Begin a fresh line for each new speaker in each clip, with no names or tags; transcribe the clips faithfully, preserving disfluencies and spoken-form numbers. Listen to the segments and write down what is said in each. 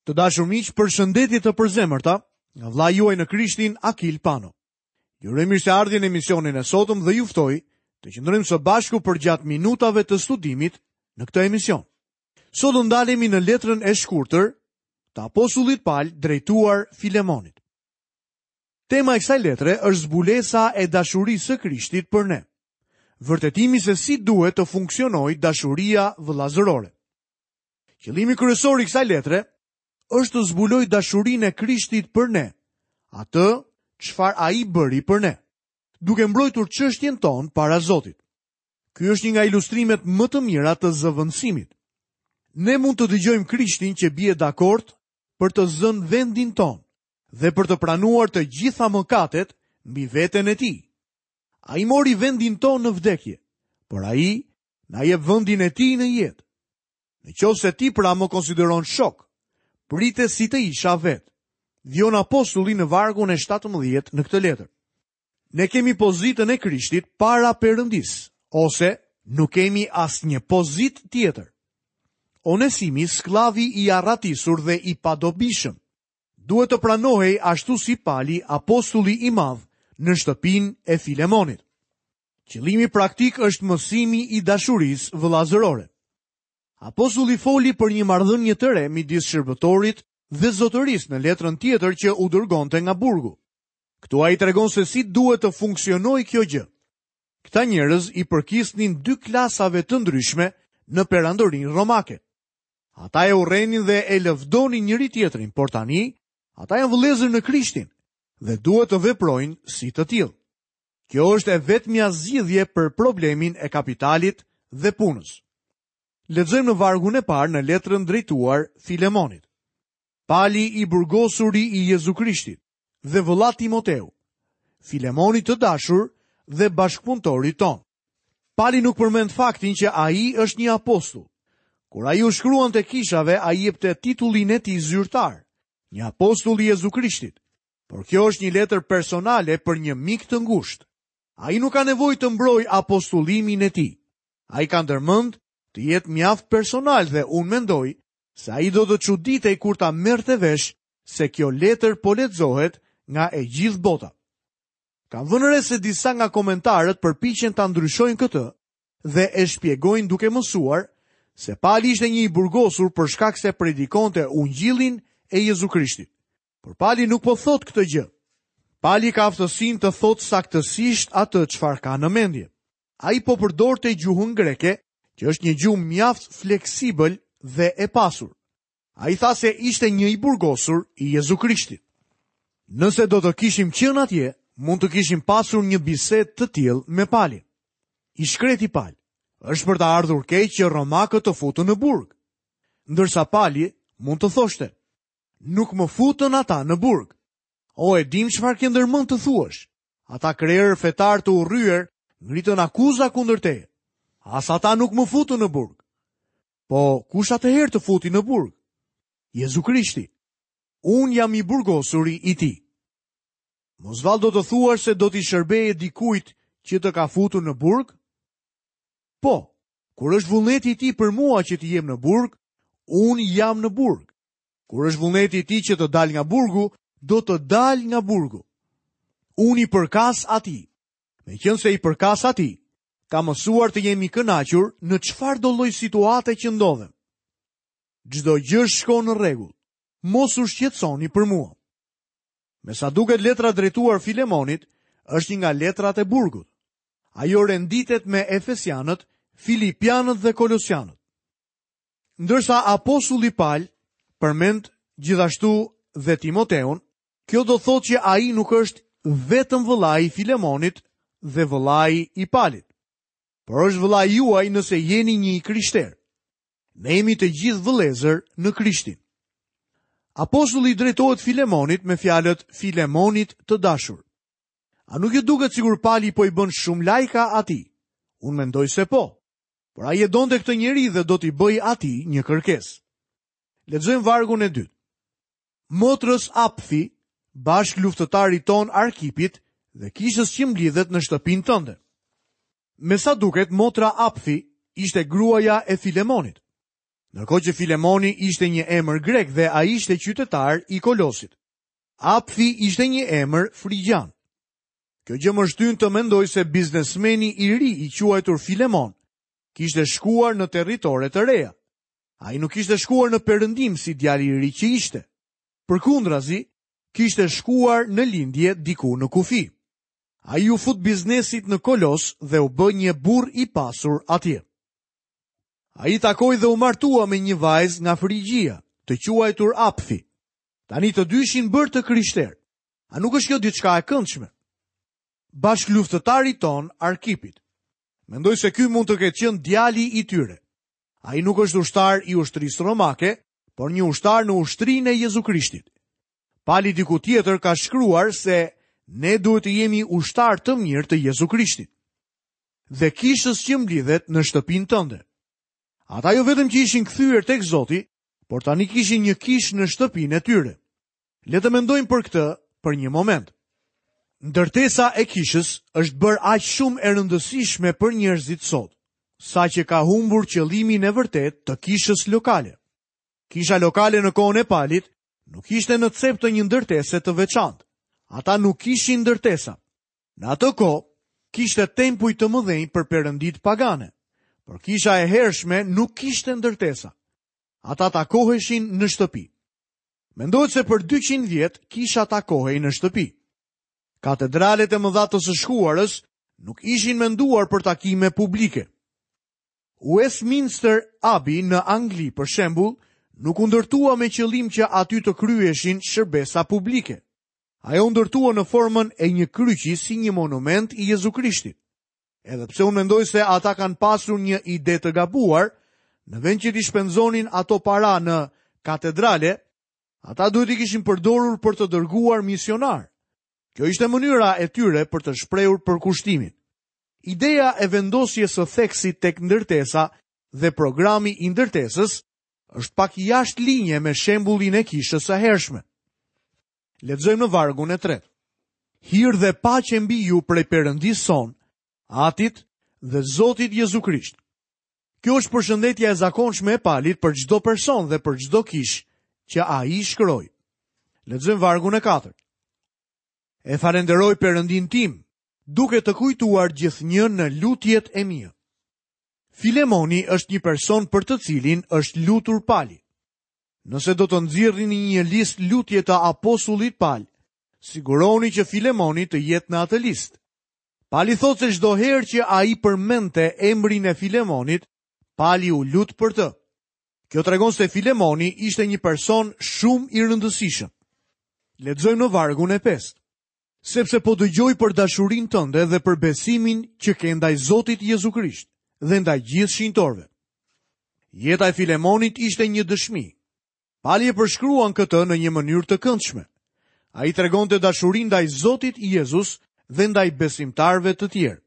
Të dashur miq, përshëndetje të përzemërta nga vëllai juaj në Krishtin Akil Pano. Ju uroj mirëseardhjen në emisionin e sotëm dhe ju ftoj të qëndrojmë së bashku përgjatë minutave të studimit në këtë emision. Sot do ndalemi në letrën e shkurtër të apostullit Pal drejtuar Filemonit. Tema e kësaj letre është zbulesa e dashurisë së Krishtit për ne. Vërtetimi se si duhet të funksionojë dashuria vëllazërore. Qëllimi kryesor i kësaj letre është të zbulojë dashurinë e Krishtit për ne, atë çfarë ai bëri për ne, duke mbrojtur çështjen tonë para Zotit. Ky është një nga ilustrimet më të mira të zëvendësimit. Ne mund të dëgjojmë Krishtin që bie dakord për të zënë vendin tonë dhe për të pranuar të gjitha mëkatet mbi veten e tij. Ai mori vendin tonë në vdekje, por ai na jep vendin e tij në jetë. Në qoftë se ti pra më konsideron shok, prite si të isha vetë. Vijon apostulli në vargun e shtatëmbëdhjetë në këtë letër. Ne kemi pozitën e Krishtit para Perëndisë, ose nuk kemi asnjë pozitë tjetër. Onesimi, skllavi i arratisur dhe i padobishëm, duhet të pranohej ashtu si Pali, apostulli i madh, në shtëpinë e Filemonit. Qëllimi praktik është mësimi i dashurisë vëllazërore. Apostulli foli për një marrëdhënie të re midis shërbëtorit dhe zotërisë në letrën tjetër që u dërgonte nga burgu. Këtu ai tregon se si duhet të funksionojë kjo gjë. Këta njerëz i përkisnin dy klasave të ndryshme në perandorinë romake. Ata e urrenin dhe e lëvdonin njëri tjetrin, por tani ata janë vëllezër në Krishtin dhe duhet të veprojnë si të tillë. Kjo është e vetmja zgjidhje për problemin e kapitalit dhe punës. Lexojmë në vargun e parë në letrën drejtuar Filemonit. Pali i burgosuri i Jezu Krishtit dhe vëlla Timoteu, Filemonit të dashur dhe bashkëpunëtorit ton. Pali nuk përmend faktin që ai është një apostull. Kur ai u shkruante kishave, ai jepte titullin e tij zyrtar, një apostull i Jezu Krishtit. Por kjo është një letër personale për një mik të ngushtë. Ai nuk ka nevojë të mbrojë apostullimin e tij. Ai ka ndërmend të jetë mjaft personal dhe unë mendoj se ai do të çuditej kur ta merrte vesh se kjo letër po lexohet nga e gjithë bota. Kam vënë re se disa nga komentarët përpiqen ta ndryshojnë këtë dhe e shpjegojnë duke mësuar se Pali ishte një i burgosur për shkak se predikonte ungjillin e Jezu Krishtit. Por Pali nuk po thotë këtë gjë. Pali ka aftësinë të thotë saktësisht atë çfarë ka në mendje. Ai po përdorte gjuhën greke, që është një gjuhë mjaft fleksibël dhe e pasur. Ai tha se ishte një i burgosur i Jezu Krishtit. Nëse do të kishim qenë atje, mund të kishim pasur një bisedë të tillë me Palin. I shkreti Pal, është për të ardhur keq që romakët të futën në burg. Ndërsa Pali mund të thoshte, nuk më futën ata në burg. O, e dim çfarë ke ndërmend të thuash. Ata krerë fetar të urryer ngritën akuza kundër teje. As ata nuk më futën në burg. Po, kush atëherë të futi në burg? Jezu Krishti. Unë jam i burgosuri i tij. Mos vallë do të thuash se do t'i shërbeje dikujt që të ka futur në burg? Po, kur është vullneti i tij për mua që të jem në burg, unë jam në burg. Kur është vullneti i tij që të dal nga burgu, do të dal nga burgu. Unë i përkas atij. Meqense i përkas atij, ka mësuar të jemi kënaqur në çfarë do lloj situate që ndodhem. Çdo gjë shkon në rregull. Mos u shqetësoni për mua. Me sa duket letra drejtuar Filemonit është një nga letrat e burgut. Ajo renditet me Efesianët, Filipianët dhe Kolosianët. Ndërsa apostulli Pal përmend gjithashtu dhe Timoteun, kjo do thotë që ai nuk është vetëm vëllai i Filemonit dhe vëllai i Palit, por është vëllai juaj nëse jeni një i krishter. Ne jemi të gjithë vëllezër në Krishtin. Apostulli drejtohet Filemonit me fjalët Filemonit të dashur. A nuk ju duket sikur Pali po i bën shumë lajka atij? Unë mendoj se po. Por ai e donte këtë njeri dhe do t'i bëj atij një kërkesë. Lexojmë vargun e dytë. Motrës Apfi, bashkë luftëtarit ton Arkipit dhe kishës që mblidhet në shtëpinë tënde. Me sa duket, motra Apfi ishte gruaja e Filemonit. Ndërkohë që Filemoni ishte një emër grek dhe ai ishte qytetar i Kolosit. Apfi ishte një emër frigjan. Kjo gjë më shtyn të mendoj se biznesmeni i ri i quajtur Filemon kishte shkuar në territore të reja. Ai nuk kishte shkuar në perëndim si djali i ri që ishte. Përkundrazi, kishte shkuar në lindje diku në kufi. Ai u fut biznesit në Kolos dhe u bë një burrë i pasur atje. Ai takoi dhe u martua me një vajzë nga Frigjia, të quajtur Apfi. Tani të dy ishin bërë të krishterë. A nuk është kjo diçka e këndshme? Bashkëluftëtari ton Arkipit. Mendoj se ky mund të ketë qenë djali i tyre. Ai nuk është ushtar i ushtrisë romake, por një ushtar në ushtrinë e Jezu Krishtit. Pali diku tjetër ka shkruar se ne duhet të jemi ushtar të mirë të Jezu Krishtit. Dhe kishës që mblidhet në shtëpinë tënde. Ata jo vetëm që ishin kthyer tek Zoti, por tani kishin një kishë në shtëpinë e tyre. Le të mendojmë për këtë për një moment. Ndërtesa e kishës është bërë aq shumë e rëndësishme për njerëzit sot, saqë ka humbur qëllimin e vërtet të kishës lokale. Kisha lokale në kohën e Palit nuk ishte në cep të një ndërtese të veçantë. Ata nuk kishin ndërtesa. Në atë kohë kishte tempuj të mëdhenj për perëndit pagane, por kisha e hershme nuk kishte ndërtesa. Ata takoheshin në shtëpi. Mendohet se për dyqind vjet kisha takohej në shtëpi. Katedralet e mëdha të së shkuarës nuk ishin menduar për takime publike. Westminster Abbey në Angli, për shembull, nuk u ndërtua me qëllim që aty të kryeshin shërbesa publike. Ajo u ndërtua në formën e një kryqi si një monument i Jezu Krishtit. Edhe pse unë mendoj se ata kanë pasur një ide të gabuar, në vend që t'i shpenzonin ato para në katedrale, ata duhet i kishin përdorur për të dërguar misionar. Kjo ishte mënyra e tyre për të shprehur përkushtimin. Ideja e vendosjes së theksit tek ndërtesa dhe programi i ndërtesës është pak jashtë linje me shembullin e kishës së hershme. Lexojmë në vargun e tretë. Hir dhe paqe mbi ju prej Perëndisë son, Atit dhe Zotit Jezu Krisht. Kjo është përshëndetja e zakonshme e Palit për çdo person dhe për çdo kishë që ai shkroi. Lexojmë vargun e katërt. E falenderoj Perëndin tim, duke të kujtuar gjithnjë në lutjet e mia. Filemoni është një person për të cilin është lutur Pali. Nëse do të nxirrni një listë lutje të apostullit Pal, siguroni që Filemoni të jetë në atë listë. Pali thotë se çdo herë që ai përmendte emrin e Filemonit, Pali u lut për të. Kjo tregon se Filemoni ishte një person shumë i rëndësishëm. Lexojmë në vargun e pestë. Sepse po dëgjoj për dashurinë tënde dhe për besimin që ke ndaj Zotit Jezu Krisht dhe ndaj gjithë shenjtorëve. Jeta e Filemonit ishte një dëshmi. Pali e përshkruan këtë në një mënyrë të këndshme. Ai tregonte dashurinë ndaj Zotit Jezus dhe ndaj besimtarëve të tjerë.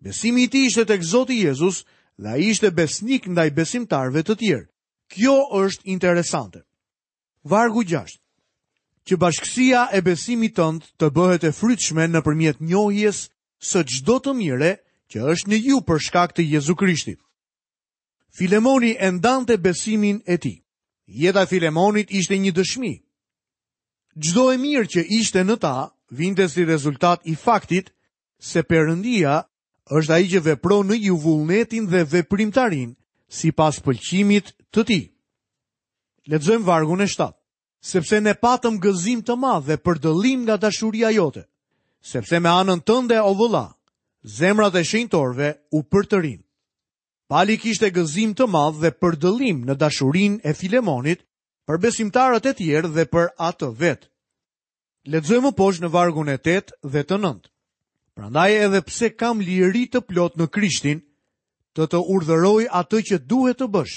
Besimi i tij ishte tek Zoti Jezus dhe ai ishte besnik ndaj besimtarëve të tjerë. Kjo është interesante. Vargu gjashtë. Që bashkësia e besimit tënd të bëhet e frytshme nëpërmjet njohjes së çdo të mire që është në ju për shkak të Jezu Krishtit. Filemoni e ndante besimin e tij. Jeta e Filemonit ishte një dëshmi. Çdo e mirë që ishte në ta vinte si rezultat i faktit se Perëndia është ai që vepron në ju vullnetin dhe veprimtarinë sipas pëlqimit të tij. Lexojmë vargun e shtatë. Sepse ne patëm gëzim të madh dhe përdëllim nga dashuria jote, sepse me anën tënde, o vëlla, zemrat e shenjtorëve u përtërin. Pali kishte gëzim të madh dhe përdëllim në dashurinë e Filemonit për besimtarët e tjerë dhe për atë vetë. Lexojmë më poshtë në vargun e tetë dhe të nëntë. Prandaj edhe pse kam liri të plot në Krishtin, të të urdhëroj atë që duhet të bësh.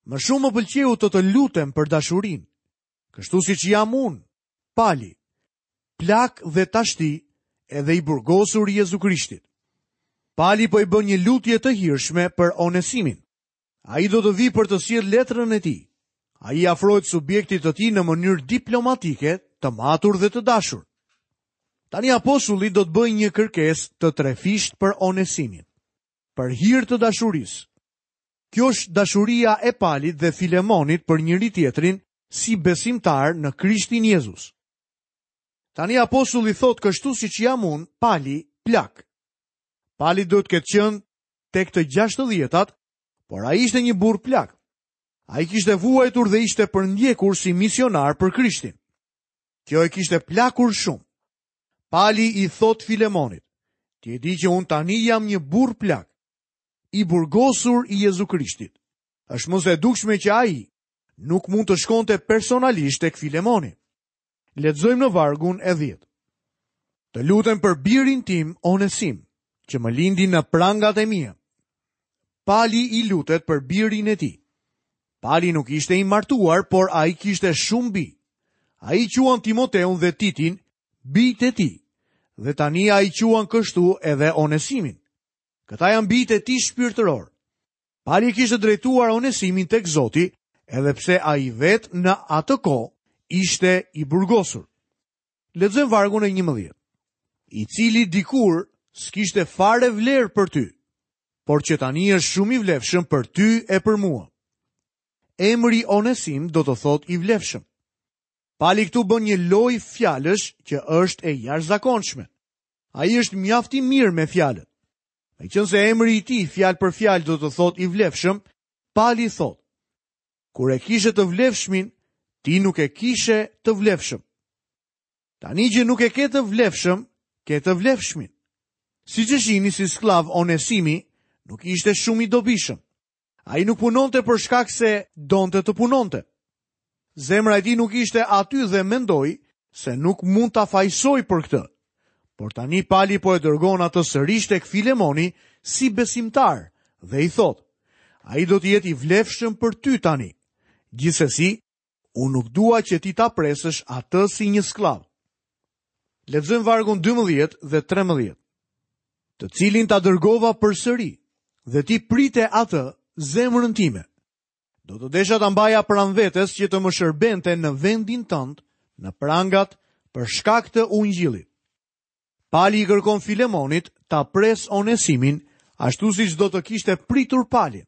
Më shumë më pëlqeu të të lutem për dashurinë, kështu siç jam unë, Pali, plak dhe tashti edhe i burgosur i Jezu Krishtit. Pali po i bën një lutje të hirshme për Onesimin. Ai do të vijë për të sjellë letrën e tij. Ai i afrohet subjektit të tij në mënyrë diplomatike, të matur dhe të dashur. Tani apostulli do të bëjë një kërkesë të trefisht për Onesimin, për hir të dashurisë. Kjo është dashuria e Palit dhe Filemonit për njëri tjetrin si besimtar në Krishtin Jezus. Tani apostulli thotë kështu siç jam unë, Pali, plak. Pali duhet të ketë qenë tek të gjashtëdhjetat, por ai ishte një burrë plak. Ai kishte vuajtur dhe ishte përndjekur si misionar për Krishtin. Kjo e kishte plakur shumë. Pali i thotë Filemonit, ti e di që unë tani jam një burrë plak, i burgosur i Jezu Krishtit. Është më se e dukshme që ai nuk mund të shkonte personalisht tek Filemoni. Lexojmë në vargun e dhjetë. Të lutem për birin tim Onesim, që më lindi në prangat e mia. Pali i lutet për birin e tij. Pali nuk ishte i martuar, por ai kishte shumë bij. Ai quan Timoteun dhe Titin bijtë e tij, dhe tani ai quan kështu edhe Onesimin. Këta janë bijtë e tij shpirtëror. Pali kishte drejtuar Onesimin tek Zoti, edhe pse ai vetë në atë kohë ishte i burgosur. Lexojmë vargun e njëmbëdhjetë. I cili dikur s'kishte fare vlerë për ty, por që tani është shumë i vlefshëm për ty e për mua. Emri Onesim do të thotë i vlefshëm. Pali këtu bën një lojë fjalësh që është e jashtëzakonshme. Ai është mjaft i mirë me fjalët. Meqenëse emri i tij fjalë për fjalë do të thotë i vlefshëm, Pali thotë: Kur e kishe të vlefshmin, ti nuk e kishe të vlefshëm. Tani që nuk e ke të vlefshëm, ke të vlefshmin. Siç e shihni, si skllav Onesimi nuk ishte shumë i dobishëm. Ai nuk punonte për shkak se donte të punonte. Zemra e tij nuk ishte aty dhe mendoi se nuk mund ta fajsoj për këtë. Por tani Pali po e dërgon atë sërish tek Filemoni si besimtar dhe i thotë: Ai do të jetë i vlefshëm për ty tani. Gjithsesi, unë nuk dua që ti ta presësh atë si një skllav. Lexojmë vargun dymbëdhjetë dhe trembëdhjetë. Të cilin ta dërgova përsëri, dhe ti prite atë zemrën time. Do të desha ta mbaja pranë vetes që të më shërbente në vendin tënd, në prangat, për shkak të ungjillit. Pali i kërkon Filemonit ta pres Onesimin, ashtu siç do të kishte pritur Palin.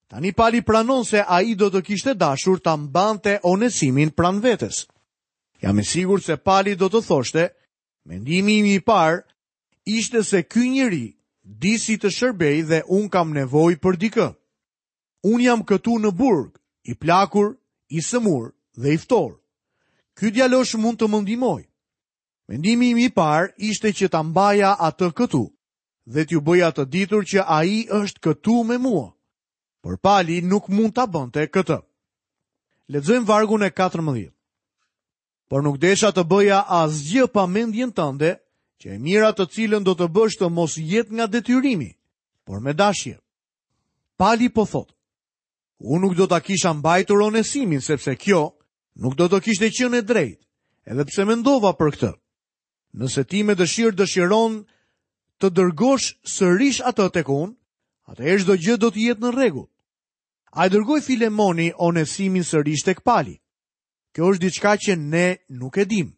Tani Pali pranon se ai do të kishte dashur ta mbante Onesimin pranë vetes. Jam i sigurt se Pali do të thoshte, mendimi im i parë ishte se ky njeri di si të shërbej dhe unë kam nevojë për dikë. Unë jam këtu në burg, i plakur, i sëmur dhe i ftohur. Ky djalosh mund të më ndihmojë. Mendimi im i parë ishte që ta mbaja atë këtu dhe t'ju bëja të ditur që ai është këtu me mua. Por Pali nuk mund ta bënte këtë. Lexojmë vargun e katërmbëdhjetë. Por nuk desha të bëja asgjë pa mendjen tënde, që e mira të cilën do të bësh të mos jetë nga detyrimi, por me dashje. Pali po thotë, unë nuk do ta kisha mbajtur Onesimin, sepse kjo nuk do të kishte qenë e drejtë, edhe pse mendova për këtë. Nëse ti me dëshirë dëshiron të dërgosh sërish atë tek unë, atëherë çdo gjë do të jetë në rregull. A e dërgoi Filemoni Onesimin sërish tek Pali? Kjo është diçka që ne nuk e dim.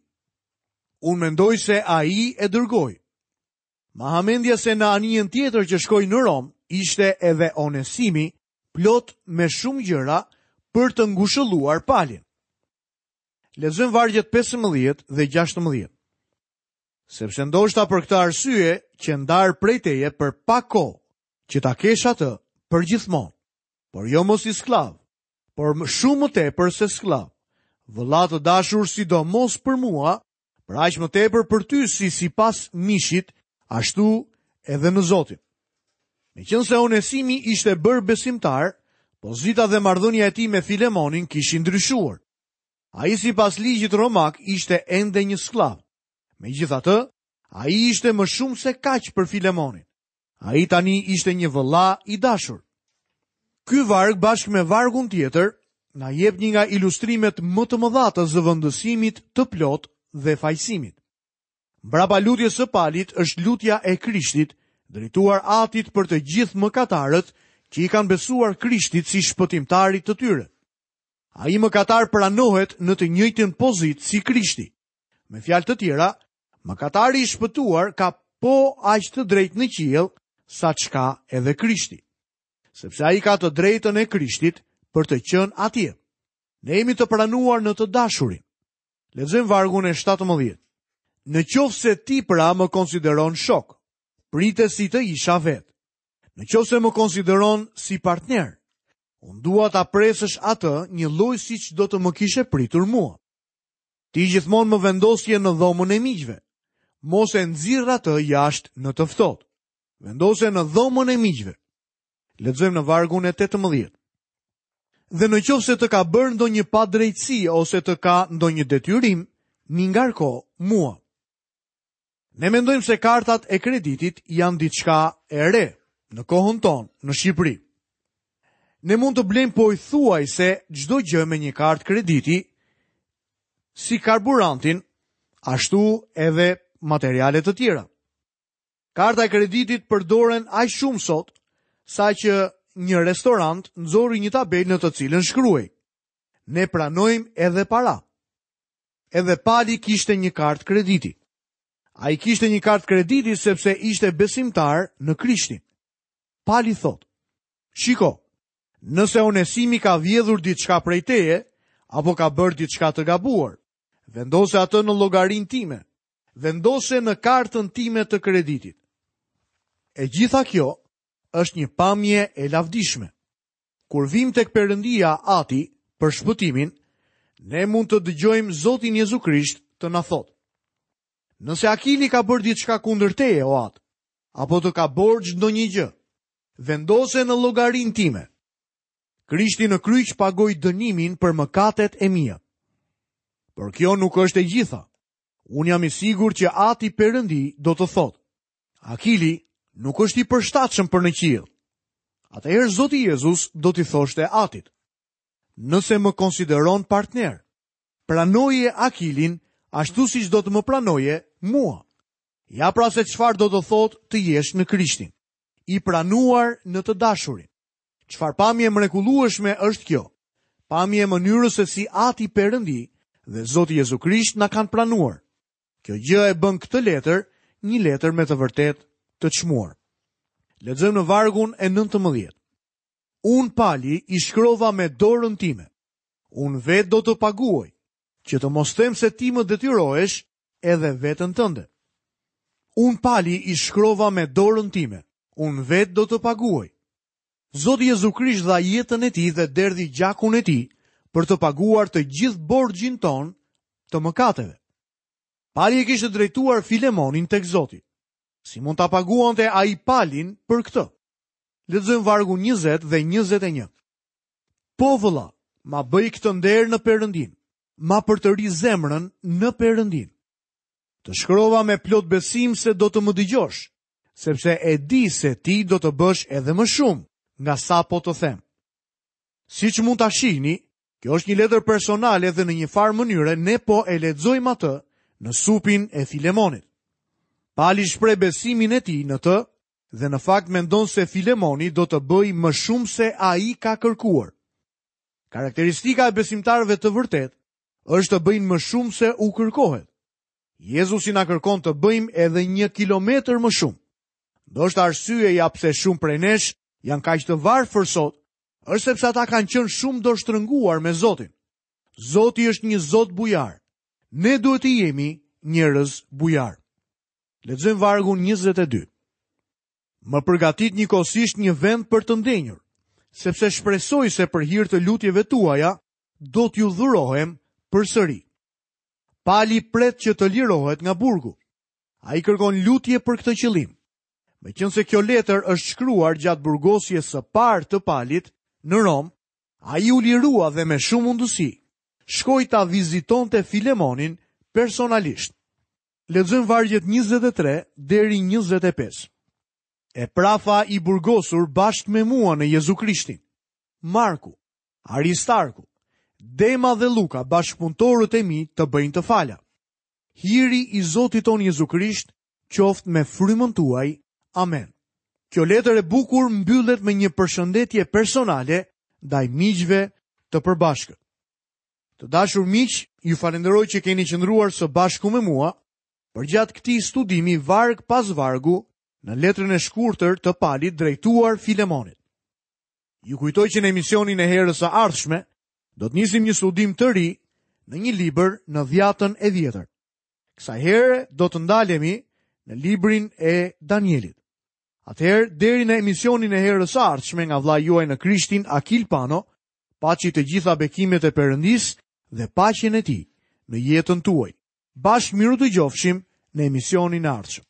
Unë mendoj se ai e dërgoi. Ma hamendja se në anijen tjetër që shkoi në Rom ishte edhe Onesimi, plot me shumë gjëra për të ngushëlluar Palin. Lexojmë vargjet pesëmbëdhjetë dhe gjashtëmbëdhjetë. Sepse ndoshta për këtë arsye që ndar prej teje për pak kohë, që ta kesh atë për gjithmonë, por jo mos si skllav, por më shumë më tepër se skllav. Vëlla të dashur, sidomos për mua, për aq më tepër për ty si sipas mishit, ashtu edhe në Zotin. Meqenëse Onesimi ishte bërë besimtar, pozita dhe marrëdhënia e tij me Filemonin kishin ndryshuar. Ai sipas ligjit romak ishte ende një skllav. Megjithatë, ai ishte më shumë se kaq për Filemonin. Ai tani ishte një vëlla i dashur. Ky varg bashkë me vargun tjetër na jep një nga ilustrimet më të mëdha të zëvendësimit të plot dhe fajësimit. Mbrapa lutjes së Palit është lutja e Krishtit, drejtuar Atit për të gjithë mëkatarët që i kanë besuar Krishtit si shpëtimtarit të tyre. Ai mëkatar pranohet në të njëjtën pozitë si Krishti. Me fjalë të tjera, mëkatari i shpëtuar ka po aq të drejtë në qiell sa çka edhe Krishti. sepse ai ka të drejtën e Krishtit për të qenë atje. Ne jemi të pranuar në të dashurin. Lexojmë vargun e shtatëmbëdhjetë. Në qoftë se ti pra më konsideron shok, prite si të isha vetë. Në qoftë se më konsideron si partner, unë dua ta presësh atë një lloj siç do të më kishe pritur mua. Ti gjithmonë më vendosje në dhomën e miqve. Mos e nxirr atë jashtë në të ftohtë. Vendose në dhomën e miqve. Lexojmë në vargun e tetëmbëdhjetë. Dhe në qoftë se të ka bërë ndonjë padrejtësi ose të ka ndonjë detyrim, mi ngarko mua. Ne mendojmë se kartat e kreditit janë diçka e re në kohën tonë në Shqipëri. Ne mund të blejmë pothuajse çdo gjë me një kartë krediti, si karburantin, ashtu edhe materiale të tjera. Karta e kreditit përdoren aq shumë sot, sa që një restorant nxori një tabelë në të cilën shkruhej: Ne pranojmë edhe para. Edhe Pali kishte një kartë krediti. Ai kishte një kartë krediti sepse ishte besimtar në Krishtin. Pali thotë: Shiko, nëse Onesimi ka vjedhur diçka prej teje, apo ka bërë diçka të gabuar, vendose atë në llogarinë time, vendose në kartën time të kreditit. E gjitha kjo është një pamje e lavdishme. Kur vim tek Perëndia Ati për shpëtimin, ne mund të dëgjojmë Zotin Jezu Krisht të na thotë: Nëse Akili ka bërë diçka kundër teje, o Atë, apo të ka borxh ndonjë gjë, vendose në llogarinë time. Krishti në kryq pagoi dënimin për mëkatet e mia. Por kjo nuk është e gjitha. Unë jam i sigurt që Ati Perëndi do të thotë: Akili nuk është i përshtatshëm për në qiell. Atëherë Zoti Jezus do t'i thoshte Atit: Nëse më konsideron partner, pranoje Akilin ashtu siç do të më pranoje mua. Ja pra se çfarë do të thotë të jesh në Krishtin, i pranuar në të dashurin. Çfarë pamje mrekullueshme është kjo? Pamje e mënyrës se si Ati Perëndi dhe Zoti Jezu Krisht na kanë pranuar. Kjo gjë e bën këtë letër një letër me të vërtetë të çmuar. Lexojmë në vargun e nëntëmbëdhjetë. Unë Pali i shkrova me dorën time. Unë vetë do të paguaj, që të mos them se ti më detyrohesh edhe veten tënde. Unë Pali i shkrova me dorën time. Unë vetë do të paguaj. Zoti Jezu Krisht dha jetën e tij dhe derdhi gjakun e tij për të paguar të gjithë borxhin ton të mëkateve. Pali e kishte drejtuar Filemonin tek Zoti. Si mund ta paguante ai Palin për këtë? Lexojmë vargun njëzet dhe njëzet e një. Po vëlla, ma bëj këtë nder në Perëndin, ma përtëri zemrën në Perëndin. Të shkrova me plot besim se do të më dëgjosh, sepse e di se ti do të bësh edhe më shumë nga sa po të them. Siç mund ta shihni, kjo është një letër personale dhe në një farë mënyre ne po e lexojmë atë në supin e Filemonit. Pali shpreh besimin e tij në të dhe në fakt mendon se Filemoni do të bëjë më shumë se ai ka kërkuar. Karakteristika e besimtarëve të vërtet është të bëjnë më shumë se u kërkohet. Jezusi na kërkon të bëjmë edhe një kilometër më shumë. Ndoshta arsyeja pse shumë prej nesh janë kaq të varfër sot, është sepse ata kanë qenë shumë dorështrënguar me Zotin. Zoti është një Zot bujar. Ne duhet të jemi njerëz bujar. Lexojmë vargun njëzet e dy. Më përgatit njëkohësisht një vend për të ndenjur, sepse shpresoj se për hir të lutjeve tuaja do t'ju dhurohem përsëri. Pali pret që të lirohet nga burgu. Ai kërkon lutje për këtë qëllim. Meqense kjo letër është shkruar gjatë burgosjes së parë të Palit në Rom, ai u lirua dhe me shumë mundësi shkoi ta vizitonte Filemonin personalisht. Lexojmë vargjet njëzet e tre deri njëzet e pesë. E prafa i burgosur bashkë me mua në Jezu Krishtin, Marku, Aristarku, Dema dhe Luka, bashkëpunëtorët e mi, të bëjnë të fala. Hiri i Zotit ton Jezu Krisht qoftë me frymën tuaj. Amen. Kjo letër e bukur mbyllet me një përshëndetje personale ndaj miqve të përbashkët. Të dashur miq, ju falenderoj që keni qëndruar së bashku me mua përgjatë këtij studimi varg pas vargu në letrën e shkurtër të Palit drejtuar Filemonit. Ju kujtoj që në emisionin e herës së ardhshme do të nisim një studim të ri në një libër në dhjatën e vjetër. Kësaj here do të ndalemi në librin e Danielit. Atëherë deri në emisionin e herës së ardhshme nga vëllai juaj në Krishtin Akil Pano, paçi të gjitha bekimet e Perëndisë dhe paqen e tij në jetën tuaj. Bashkë mirudëgjofshim në emisionin e ardhshëm.